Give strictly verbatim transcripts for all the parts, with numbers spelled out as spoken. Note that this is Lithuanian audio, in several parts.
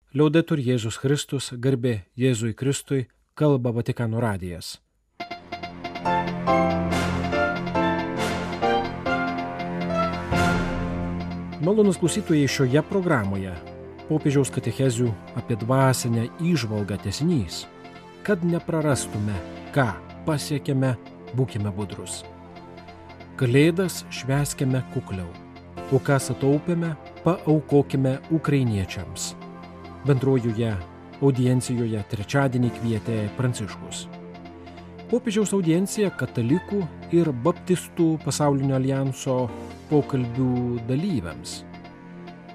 Liaudetur Jėzus Kristus, garbė Jėzui Kristui, kalba Vatikano radijas. Malonūs klausytojai, šioje programoje popiežiaus katechezių apie dvasinę įžvalgą tęsinys. Kad neprarastume, ką pasiekėme, būkime budrus. Kalėdas švęskime kukliau, o ką sutaupėme, paaukokime ukrainiečiams. Bendrojoje audiencijoje trečiadienį kvietė Pranciškus. Popiežiaus audiencija katalikų ir baptistų pasaulinio alijanso pokalbių dalyviams.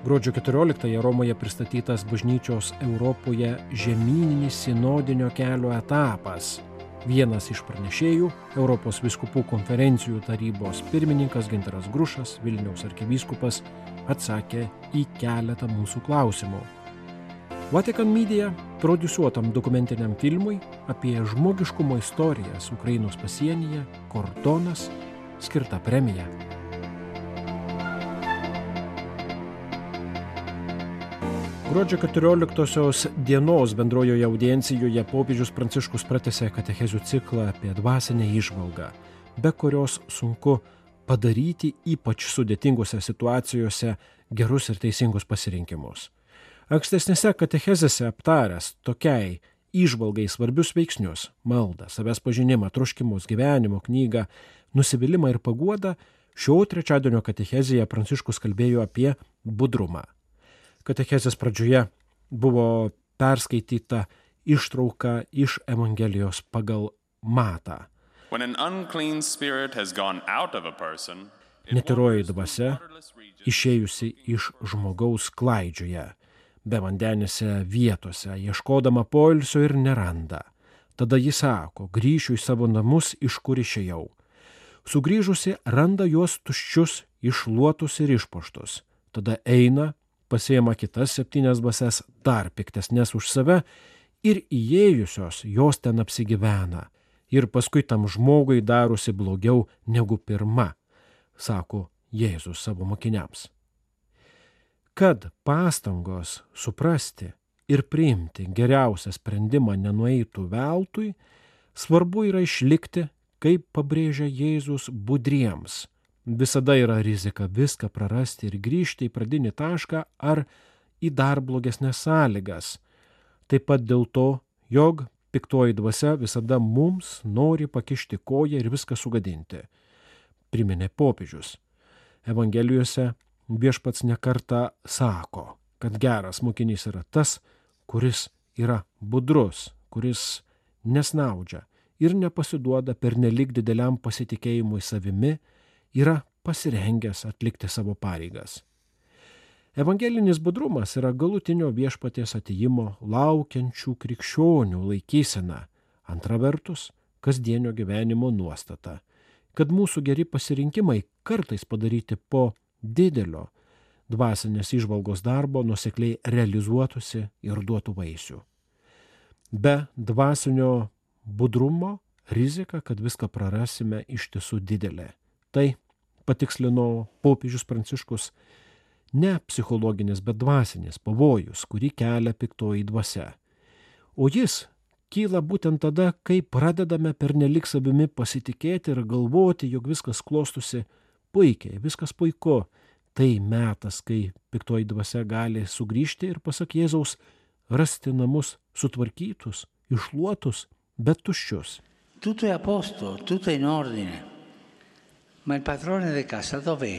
Gruodžio keturioliktąją Romoje pristatytas bažnyčios Europoje žemyninis sinodinio kelio etapas. Vienas iš pranešėjų, Europos vyskupų konferencijų tarybos pirmininkas Gintaras Grušas, Vilniaus arkivyskupas, atsakė į keletą mūsų klausimų. Vatikan Media prodiusuotam dokumentiniam filmui apie žmogiškumo istorijas Ukrainos pasienyje Kordonas skirta premija. Gruodžio keturioliktosios dienos bendrojoje audiencijoje popiežius Pranciškus pratęsė katechezių ciklą apie dvasinę įžvalgą, be kurios sunku padaryti ypač sudėtingose situacijose gerus ir teisingus pasirinkimus. Ankstesnėse katechezėse aptaręs tokiai įžvalgai svarbius veiksnius – maldą, savęs pažinimą, troškimus, gyvenimo knygą, nusivylimą ir paguodą, šio trečiadienio katechezėje Pranciškus kalbėjo apie budrumą. Katechezės pradžioje buvo perskaityta ištrauka iš Evangelijos pagal Matą. Netyroji dvasia, išėjusi iš žmogaus klaidžioje, bevandenėse vietose, ieškodama poilsio ir neranda. Tada jis sako, grįšiu į savo namus, iš kur išėjau. Sugrįžusi, randa juos tuščius, iššluotus ir išpuoštus. Tada eina, pasiima kitas septynias dvasias, dar piktesnės už save, ir įėjusios jos ten apsigyvena. Ir paskui tam žmogui darosi blogiau negu pirma, sako Jėzus savo mokiniams. Kad pastangos suprasti ir priimti geriausią sprendimą nenueitų veltui, svarbu yra išlikti, kaip pabrėžia Jėzus, budriems. Visada yra rizika viską prarasti ir grįžti į pradinį tašką ar į dar blogesnes sąlygas. Taip pat dėl to, jog piktoji dvasia visada mums nori pakišti koją ir viską sugadinti, priminė popiežius. Evangelijose Viešpats nekartą sako, kad geras mokinys yra tas, kuris yra budrus, kuris nesnaudžia ir nepasiduoda pernelyg dideliam pasitikėjimui savimi, yra pasirengęs atlikti savo pareigas. Evangelinis budrumas yra galutinio Viešpaties atėjimo laukiančių krikščionių laikysena, antra vertus kasdienio gyvenimo nuostata, kad mūsų geri pasirinkimai kartais padaryti po didelio dvasinės įžvalgos darbo nuosekliai realizuotųsi ir duotų vaisių. Be dvasinio budrumo rizika, kad viską prarasime, iš tiesų didelė. Tai, patikslino popiežius Pranciškus, ne psichologinis, bet dvasinis pavojus, kurį kelia piktoji dvasia. O jis kyla būtent tada, kai pradedame pernelyg savimi pasitikėti ir galvoti, jog viskas klostosi puikiai, viskas puiku. Tai metas, kai piktoji dvasia gali sugrįžti ir, pasak Jėzaus, rasti namus sutvarkytus, iššluotus, bet tuščius. Tutto è a posto, tutto è in ordine. Ma il padrone di casa dov'è?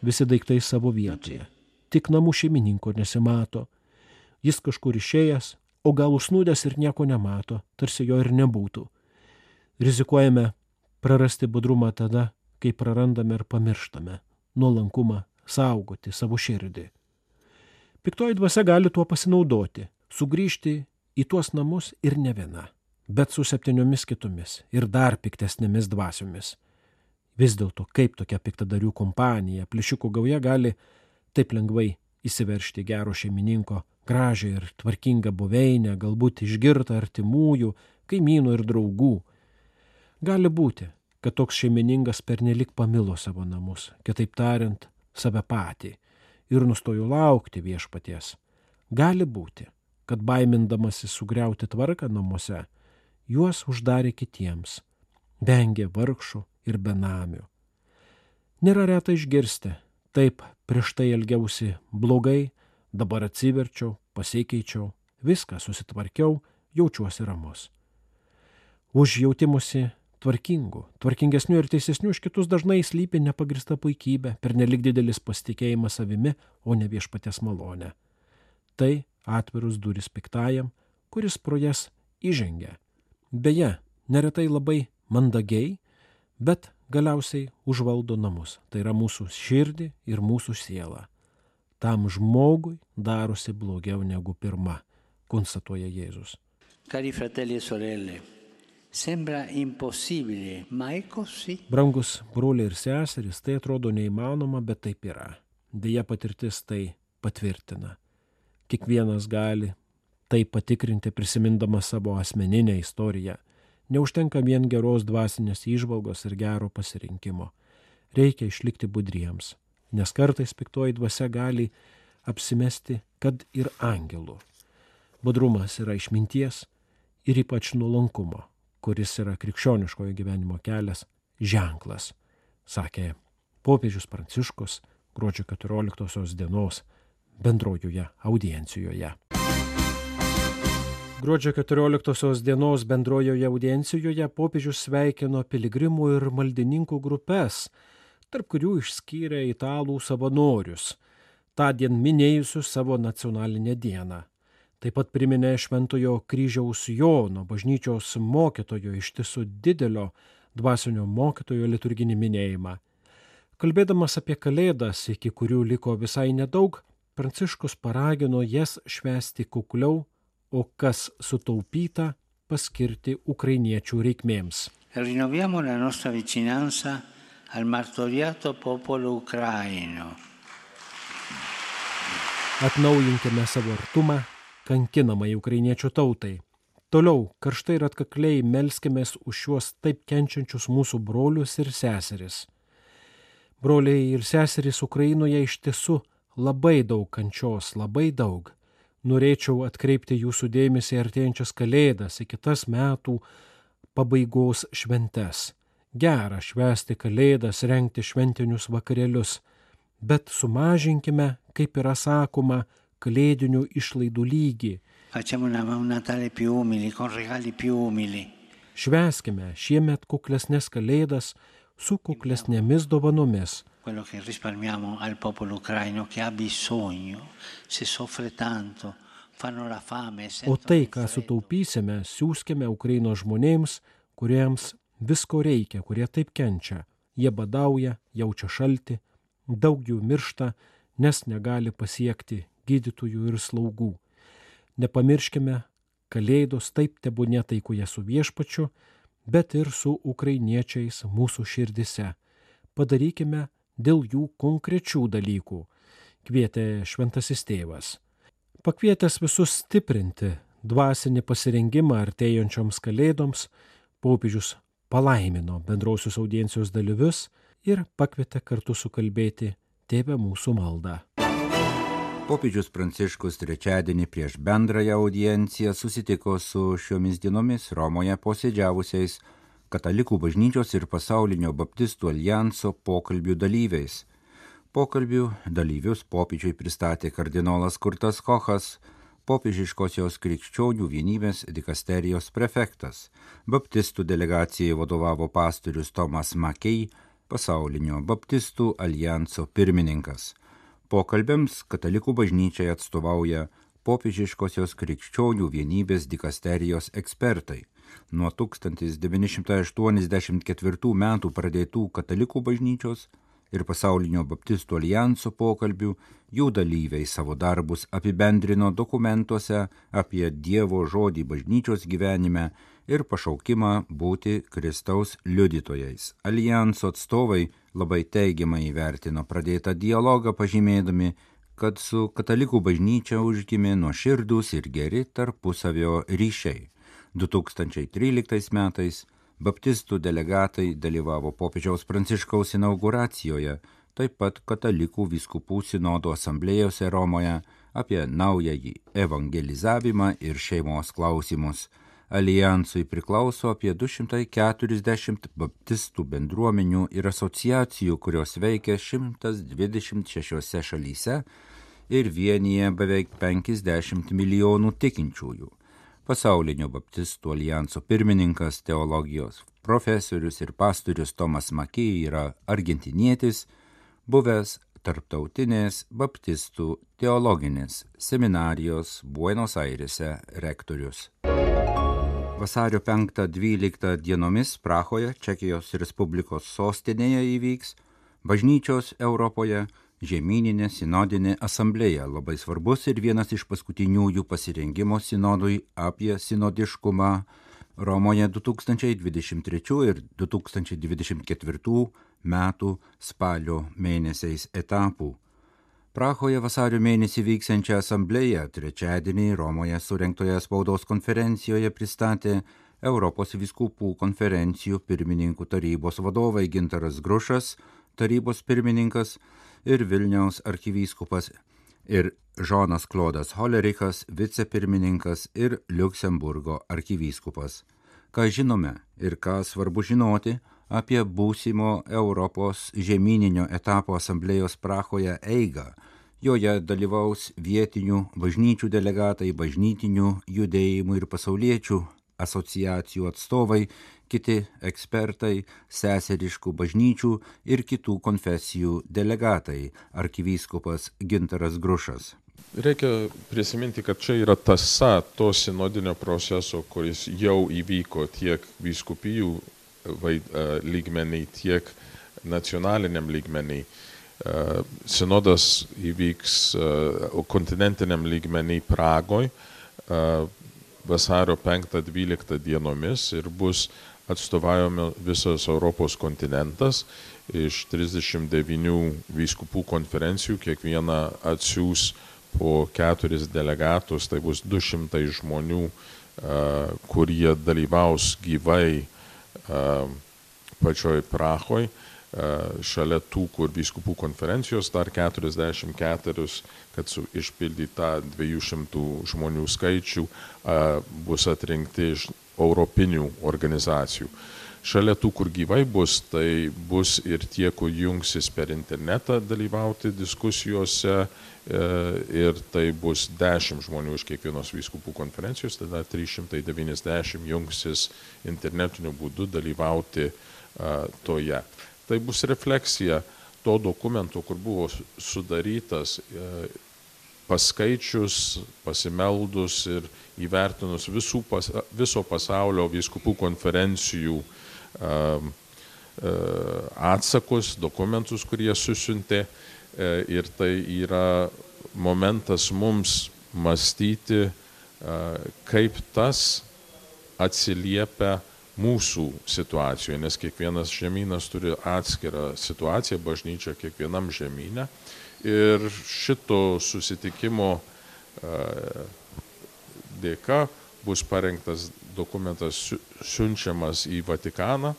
Visi daiktai savo vietoje. Tik namų šeimininko nesimato. Jis kažkur išėjęs, o gal užsnūdęs ir nieko nemato, tarsi jo ir nebūtų. Rizikuojame prarasti budrumą tada, kai prarandame ir pamirštame nuolankumą saugoti savo širdį. Piktoji dvasia gali tuo pasinaudoti, sugrįžti į tuos namus ir ne viena, bet su septyniomis kitomis ir dar piktesnėmis dvasiomis. Vis dėlto, kaip tokia piktadarių kompanija, plėšikų gauja gali taip lengvai įsiveržti gero šeimininko gražią ir tvarkingą buveinę, galbūt išgirtą artimųjų, kaimynų ir draugų. Gali būti, kad toks šeimininkas pernelyg pamilo savo namus, kitaip tariant, save patį, ir nustojo laukti Viešpaties. Gali būti, kad baimindamasi sugriauti tvarką namuose, juos uždarė kitiems, vengė vargšų ir benamių. Nėra reta išgirsti, taip prieš tai elgiausi blogai, dabar atsiverčiau, pasikeičiau, viską susitvarkiau, jaučiuosi ramus. Už jautimusi tvarkingų, tvarkingesnių ir teisesnių už kitus dažnai slypi nepagrįsta puikybė, pernelyg didelis pasitikėjimas savimi, o ne viešpaties malonė. Tai atvirus duris piktajam, kuris pro jas įžengia. Beje, neretai labai mandagiai, bet galiausiai užvaldo namus. Tai yra mūsų širdį ir mūsų sielą. Tam žmogui darosi blogiau negu pirma, konstatuoja Jėzus. Cari fratelli e sorelle, sembra impossibile, ma è così. Brangus broliai ir seserys, tai atrodo neįmanoma, bet taip yra. Deja, patirtis tai patvirtina. Kiekvienas gali tai patikrinti prisimindamas savo asmeninę istoriją. Neužtenka vien geros dvasinės įžvalgos ir gero pasirinkimo. Reikia išlikti budriems, nes kartais piktoji dvasia gali apsimesti, kad ir angelų. Budrumas yra išminties ir ypač nuolankumo, kuris yra krikščioniškojo gyvenimo kelias, ženklas, sakė popiežius Pranciškus gruodžio keturioliktosios dienos bendrojoje audiencijoje. Gruodžio keturioliktosios dienos bendrojoje audiencijoje popiežius sveikino piligrimų ir maldininkų grupes, tarp kurių išskyrė italų savanorius, tądien minėjusius savo nacionalinę dieną. Taip pat priminė Šventojo kryžiaus Jono, bažnyčios mokytojo, iš tiesų didelio dvasinio mokytojo liturginį minėjimą. Kalbėdamas apie Kalėdas, iki kurių liko visai nedaug, Pranciškus paragino jas švęsti kukliau, o kas sutaupyta paskirti ukrainiečių reikmėms. Rinnoviamo la nostra vicinanza al martoriato popolo ucraino. Atnaujinkime savo artumą kankinamai ukrainiečių tautai. Toliau karštai ir atkakliai melskimės už šiuos taip kenčiančius mūsų brolius ir seseris. Broliai ir seserys Ukrainoje iš tiesų labai daug kančios, labai daug. Norėčiau atkreipti jūsų dėmesį artėjančias Kalėdas, į kitas metų pabaigos šventes. Gera švęsti Kalėdas, rengti šventinius vakarėlius, bet sumažinkime, kaip yra sakoma, kalėdinių išlaidų lygį. Facciamo un Natale più umili, con regali più umili. Švęskime šiemet kuklesnės Kalėdas su kuklesnėmis dovanomis. Quello che risparmiamo al popolo ucraino che ha bisogno, se soffre tanto, fanno la fame. O tai, ką sutaupysime, siųskime Ukrainos žmonėms, kuriems visko reikia, kurie taip kenčia. Jie badauja, jaučia šaltį, daug jų miršta, nes negali pasiekti gydytojų ir slaugų. Nepamirškime, Kalėdos taip tebūnie taikoje su viešpačiu, bet ir su ukrainiečiais mūsų širdise. Padarykime dėl jų konkrečių dalykų, kvietė šventasis tėvas. Pakvietęs visus stiprinti dvasinį pasirengimą artėjančioms Kalėdoms, popiežius palaimino bendrausios audiencijos dalyvius ir pakvietė kartu sukalbėti Tėve mūsų maldą. Popiežius Pranciškus trečiadienį prieš bendrąją audienciją susitiko su šiomis dienomis Romoje posėdžiavusiais Katalikų bažnyčios ir Pasaulinio baptistų aljanso pokalbių dalyviais. Pokalbių dalyvius popiežiui pristatė kardinolas Kurtas Kochas, popiežiškosios krikščionių vienybės dikasterijos prefektas. Baptistų delegacijai vadovavo pastorius Tomas Makei, Pasaulinio baptistų aljanso pirmininkas. Pokalbiams Katalikų bažnyčiai atstovauja popiežiškosios krikščionių vienybės dikasterijos ekspertai. Nuo tūkstantis devyni šimtai aštuoniasdešimt ketvirtų metų pradėtų Katalikų bažnyčios ir Pasaulinio baptistų aljanso pokalbių jų dalyviai savo darbus apibendrino dokumentuose apie Dievo žodį bažnyčios gyvenime ir pašaukimą būti Kristaus liudytojais. Aljanso atstovai labai teigiamai įvertino pradėtą dialogą, pažymėdami, kad su Katalikų bažnyčia užgimė nuoširdūs ir geri tarpusavio ryšiai. du tūkstančiai tryliktais metais baptistų delegatai dalyvavo popiežiaus Pranciškaus inauguracijoje, taip pat Katalikų vyskupų sinodo asamblėjose Romoje, apie naująjį evangelizavimą ir šeimos klausimus. Alijansui priklauso apie du šimtai keturiasdešimt baptistų bendruomenių ir asociacijų, kurios veikia šimtas dvidešimt šešiose šalyse ir vienyje beveik penkiasdešimt milijonų tikinčiųjų. Pasaulinio baptistų alijanso pirmininkas, teologijos profesorius ir pastorius Tomas Mackey yra argentinietis, buvęs Tarptautinės baptistų teologinės seminarijos Buenos Airėse rektorius. Vasario penktą dvyliktą dienomis Prahoje, Čekijos Respublikos sostinėje įvyks Bažnyčios Europoje žemyninė sinodinė asamblėja, labai svarbus ir vienas iš paskutiniųjų pasirengimo sinodui apie sinodiškumą Romoje du tūkstančiai dvidešimt trečių ir du tūkstančiai dvidešimt ketvirtų metų spalio mėnesiais etapų. Prahoje vasario mėnesį vyksiančią asamblėją trečiadienį Romoje surengtoje spaudos konferencijoje pristatė Europos vyskupų konferencijų pirmininkų tarybos vadovai Gintaras Grušas, tarybos pirmininkas, ir Vilniaus arkivyskupas, ir Žonas Klodas Holerichas, vicepirmininkas, ir Liuksemburgo arkivyskupas. Ką žinome ir ką svarbu žinoti apie būsimo Europos žemyninio etapo asamblėjos Prahoje eigą. Joje dalyvaus vietinių bažnyčių delegatai, bažnytinių judėjimų ir pasauliečių asociacijų atstovai, kiti ekspertai, seseriškų bažnyčių ir kitų konfesijų delegatai, arkivyskupas Gintaras Grušas. Reikia prisiminti, kad čia yra tąsa to sinodinio proceso, kuris jau įvyko tiek vyskupijų lygmeniai, tiek nacionaliniam lygmeniai. Sinodas įvyks kontinentiniam lygmeniai Pragoj vasario penktą dvyliktą dienomis ir bus atstovaujami visas Europos kontinentas iš trisdešimt devynių vyskupų konferencijų, kiekviena atsiųs po keturis delegatus, tai bus du šimtai žmonių, kurie dalyvaus gyvai pačioj Prahoj, šalia tų, kur vyskupų konferencijos dar keturiasdešimt keturios, kad su, išpildyti tą dviejų šimtų žmonių skaičių, bus atrinkti iš europinių organizacijų. Šalia tų, kur gyvai bus, tai bus ir tie, kur jungsis per internetą dalyvauti diskusijose, ir tai bus dešimt žmonių iš kiekvienos vyskupų konferencijos, tada trys šimtai devyniasdešimt jungsis internetiniu būdu dalyvauti toje. Tai bus refleksija to dokumento, kur buvo sudarytas paskaičius, pasimeldus ir įvertinus visų, viso pasaulio vyskupų konferencijų atsakus, dokumentus, kurie susiuntė, ir tai yra momentas mums mąstyti, kaip tas atsiliepia mūsų situacijoje, nes kiekvienas žemynas turi atskirą situaciją, bažnyčia kiekvienam žemyne. Ir šito susitikimo dėka bus parengtas dokumentas siunčiamas į Vatikaną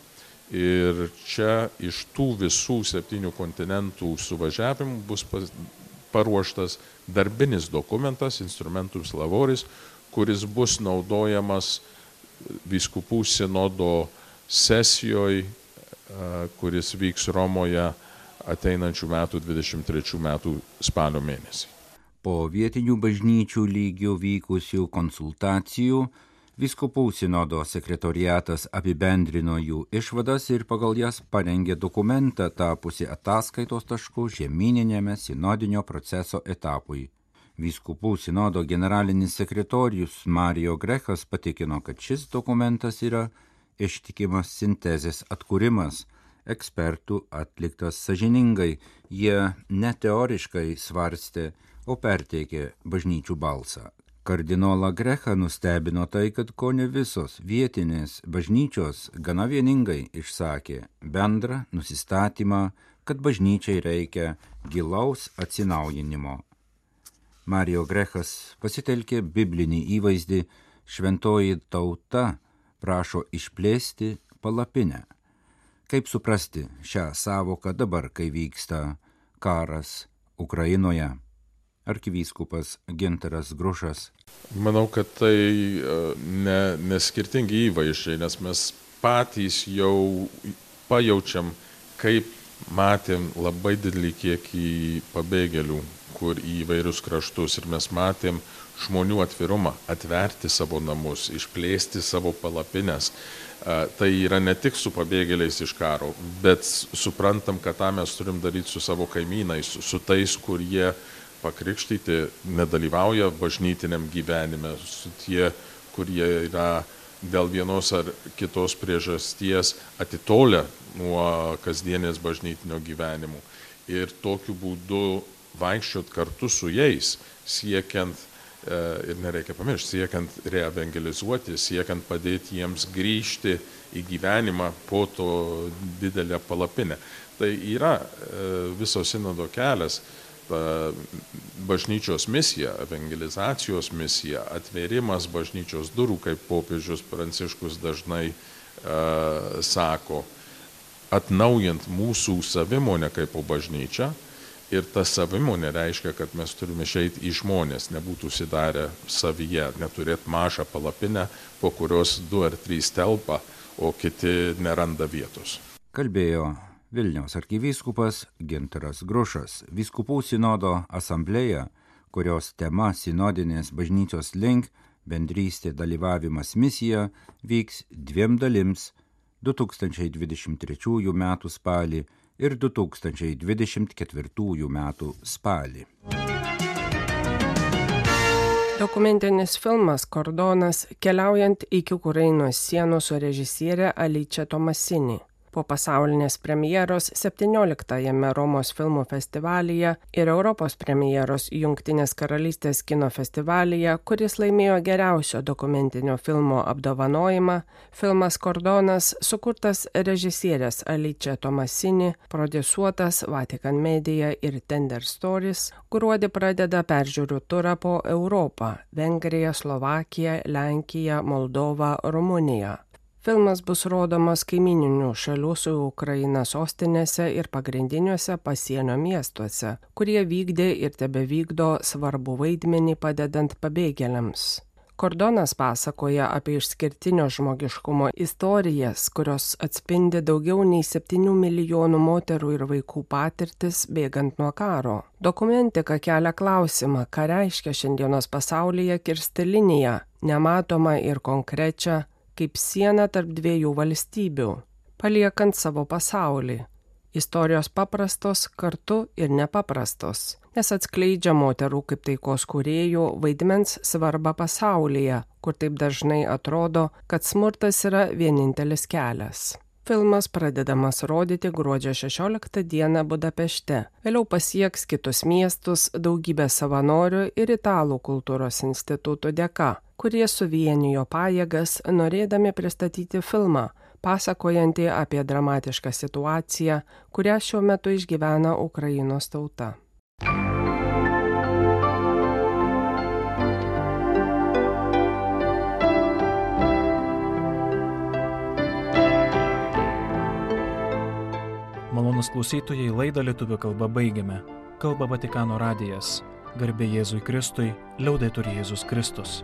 ir čia iš tų visų septynių kontinentų suvažiavimų bus paruoštas darbinis dokumentas, instrumentus laboris, kuris bus naudojamas vyskupų sinodo sesijoje, kuris vyks Romoje ateinančių metų dvidešimt trečių metų spalio mėnesį. Po vietinių bažnyčių lygių vykusių konsultacijų vyskupų sinodo sekretoriatas apibendrino jų išvadas ir pagal jas parengė dokumentą tapusi ataskaitos tašku žemyninėme sinodinio proceso etapui. Vyskupų sinodo generalinis sekretorius Mario Grechas patikino, kad šis dokumentas yra ištikimas sintezės atkūrimas, ekspertų atliktas sąžiningai, jie ne teoriškai svarstė, o perteikė bažnyčių balsą. Kardinolą Grechą nustebino tai, kad kone visos vietinės bažnyčios gana vieningai išsakė bendrą nusistatymą, kad bažnyčiai reikia gilaus atsinaujinimo. Mario Grechas pasitelkė biblinį įvaizdį šventoji tauta prašo išplėsti palapinę. Kaip suprasti šią sąvoką dabar, kai vyksta karas Ukrainoje? arkivyskupas Gintaras Grušas. Manau, kad tai ne, ne skirtingi įvaizdžiai, nes mes patys jau pajaučiam, kaip matėm labai didelį kiekį pabėgėlių, kur į įvairius kraštus, ir mes matėm žmonių atvirumą, atverti savo namus, išplėsti savo palapines. Tai yra ne tik su pabėgėliais iš karo, bet suprantam, kad tą mes turim daryti su savo kaimynais, su tais, kurie pakrikštyti nedalyvauja bažnytiniam gyvenime, su tie, kurie yra dėl vienos ar kitos priežasties atitolę nuo kasdienės bažnytinio gyvenimo. Ir tokiu būdu vaikščiot kartu su jais, siekiant, ir nereikia pamiršti, siekiant reevangelizuoti, siekiant padėti jiems grįžti į gyvenimą po to didelę palapinę. Tai yra viso sinodo kelias, bažnyčios misija, evangelizacijos misija, atvėrimas bažnyčios durų, kaip popiežius Pranciškus dažnai uh, sako, atnaujant mūsų savimonę kaip bažnyčia. Ir ta savimonė reiškia, kad mes turime išeiti į žmonės, nebūtų užsidarę savyje, neturėti mažą palapinę, po kurios du ar trys telpa, o kiti neranda vietos. Kalbėjo Vilniaus arkivyskupas Gintaras Grušas. Vyskupų sinodo asamblėja, kurios tema sinodinės bažnyčios link, bendrystė dalyvavimas misija, vyks dviem dalims du tūkstančiai dvidešimt trečiųjų metų spalį ir du tūkstančiai dvidešimt ketvirtųjų metų spalį. Dokumentinis filmas Kordonas keliaujant iki Ukrainos sienos su režisierė Alice Tomasini. Po pasaulinės premjeros septynioliktajame Romos filmų festivalyje ir Europos premjeros Jungtinės karalystės kino festivalyje, kuris laimėjo geriausio dokumentinio filmo apdovanojimą, filmas Kordonas, sukurtas režisierės Alice Tomasini, prodiusuotas Vatican Media ir Tender Stories, gruodį pradeda peržiūrų turą po Europą – Vengriją, Slovakiją, Lenkiją, Moldovą, Rumuniją. Filmas bus rodomas kaimininių šalių su Ukraina sostinėse ir pagrindiniuose pasienio miestuose, kurie vykdė ir tebevykdo svarbų vaidmenį padedant pabėgėliams. Kordonas pasakoja apie išskirtinio žmogiškumo istorijas, kurios atspindi daugiau nei septynių milijonų moterų ir vaikų patirtis bėgant nuo karo. Dokumentika kelia klausimą, ką reiškia šiandienos pasaulyje kirsti liniją, nematomą ir konkrečią, kaip siena tarp dviejų valstybių, paliekant savo pasaulį. Istorijos paprastos, kartu ir nepaprastos, nes atskleidžia moterų kaip taikos kūrėjų vaidmens svarbą pasaulyje, kur taip dažnai atrodo, kad smurtas yra vienintelis kelias. Filmas pradedamas rodyti gruodžio šešioliktą dieną Budapešte, vėliau pasieks kitus miestus daugybę savanorių ir Italų kultūros institutų dėka, kurie suvienijo pajėgas norėdami pristatyti filmą, pasakojantį apie dramatišką situaciją, kurią šiuo metu išgyvena Ukrainos tauta. Malonūs klausytojai, laidą lietuvių kalba baigiame. Kalba Vatikano radijas. Garbė Jėzui Kristui, liaudetur Jėzus Kristus.